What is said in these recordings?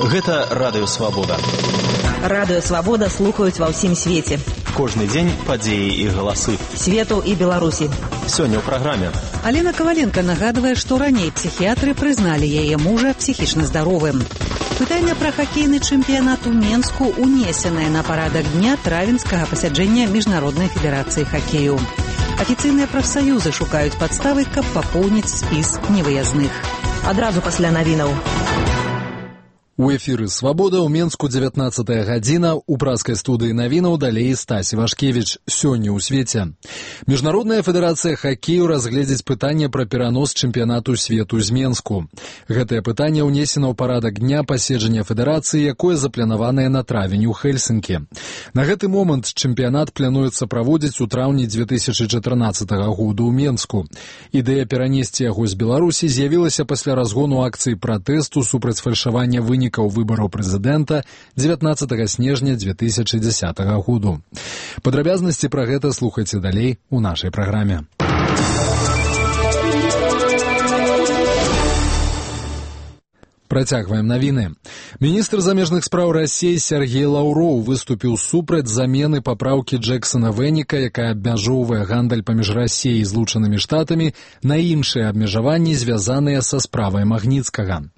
Гэта Радыё Свабода. Радыё Свабода слухаюць ва ўсім свеце. Кожны дзень падзеі і галасы Свету і Беларусі. Сёння ў праграме. Алена Коваленко нагадвае, што раней псіхіятры прызналі яе мужа псіхічна здаровым. Пытанне пра хакейны чэмпіянат у Менску унесенае на парадак дня травенскага пасяджэння Міжнароднай федэрацыі хакею. Афіцыйныя прафсаюзы шукаюць падставы, каб папоўніць спіс невыязных. Адразу пасля навінаў. У эфіры «Свабода» ў Менску 19 гадзіна. У праскай студыі навінаў далей Стась Івашкевіч. Сёння ў свеце. Міжнародная федэрацыя хакею разгледзіць пытанне пра перанос чэмпіянату свету з Менску. Гэтае пытанне ўнесена ў парадак дня паседжання федэрацыі, якое запланаванае на травень у Хельсінкі. На гэты момант чэмпіянат плануецца праводзіць у траўні 2014 году ў Менску. Ідэя перанесці яго з Беларусі з'явілася пасля разгону акцыі пратэсту супраць фальшавання вынікаў выбараў прэзідэнта 19 снежня 2010 году. Падрабязнасці пра гэта слухайце далей у нашай праграме. Працягваем навіны. Міністр замежных спраў Расіі Сергей Лаўроў выступіў супраць замены папраўкі Джексона Вэніка, якая абмяжоўвае гандаль паміж Расіяй і Злучанымі Штатамі, на іншыя абмежаванні, звязаныя са справай Магніцкага.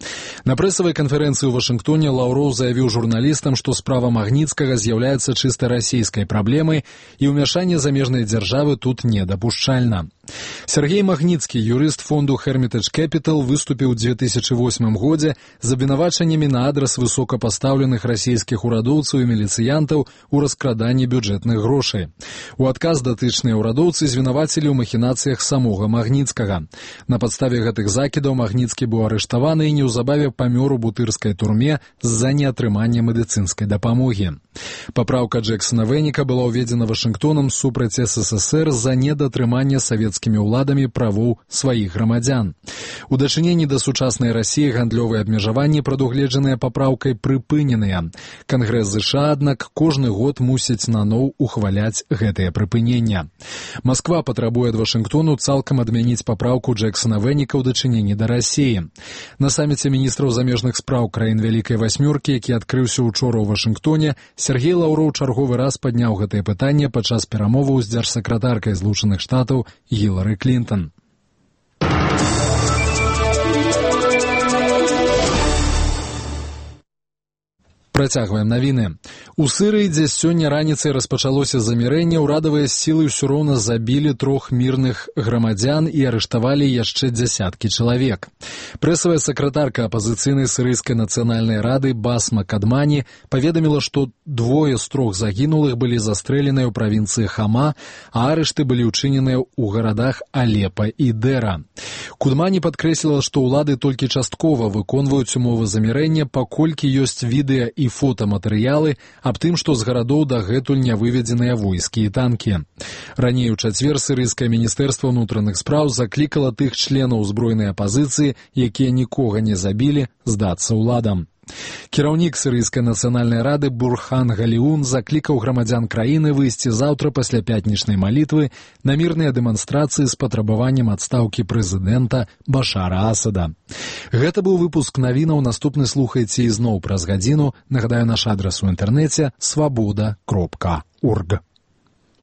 На прэсавай канферэнцыі ў Вашынгтоне Лаўроў заявіў журналістам, што справа Магніцкага з'яўляецца чыста расійскай праблемай і ўмяшанне замежнай дзяржавы тут недапушчальна. Сергей Магніцкі, юрыст фонду Hermitage Capital, выступіў у 2008 годзе з абвінавачаннямі на адрас высокапастаўленых расійскіх урадоўцаў і міліцыянтаў у раскраданні бюджэтных грошай. У адказ датычныя ўрадоўцы звінавацілі ў махінацыях самога Магніцкага. На падставе гэтых закідаў Магніцкі быў арыштаваны і неўзабаве памёр у бутырскай турме з-за неатрымання медыцынскай дапамогі. Папраўка Джексона Вэніка была ўведзена Вашынгтонам супраць СССР за недатрыманне савецкімі ўладамі правоў сваіх грамадзян. У дачыненні да сучаснай Расіі гандлёвыя абмежаванні, прадугледжаныя папраўкай, прыпыненыя. Кангрэс ЗША, аднак, кожны год мусіць наноў ухваляць гэтае прыпыненне. Масква патрабуе ад Вашынгтону цалкам адмяніць папраўку Джексона Вэніка ў дачыненні да Расіі. На саміце міністраў замежных спраў краін Вялікай Васьмёркі, які адкрыўся учора ў Вашынгтоне, Сергей Лаўроў чарговы раз падняў гэтае пытанне падчас перамоваў з дзяржсакратаркай Злучаных Штатаў Гілары Клінтон. Працягваем навіны. У Сырыі, дзе сёння раніцай распачалося замірэнне, урадавыя сілы ўсё роўна забілі 3 мірных грамадзян і арыштавалі яшчэ дзясяткі чалавек. Прэсавая сакратарка апазіцыйнай сырыйскай нацыянальнай рады Басма Кадмані паведаміла, што 2 з 3 загінулых былі застрэленыя ў правінцыі Хама, а арышты былі ўчыненыя ў гарадах Алепа і Дэра. Кадмані падкрэсліла, што ўлады толькі часткова выконваюць умовы замірэння, паколькі ёсць відэа і фотаматэрыялы аб тым, што з гарадоў дагэтуль не выведзеныя войскі і танкі. Раней у чацвер сырыйскае міністэрства ўнутраных спраў заклікала тых членаў узброенай апазіцыі, якія нікога не забілі, здацца ўладам. Кіраўнік сырыйскай нацыянальнай рады Бурхан Галіун заклікаў грамадзян краіны выйсці заўтра пасля пятнічнай малітвы на мірныя дэманстрацыі з патрабаваннем адстаўкі прэзідэнта Башара Асада. Гэта быў выпуск навінаў, наступны слухайце ізноў праз гадзіну. Нагадаю, наш адрас у інтэрнэце свабода.орг.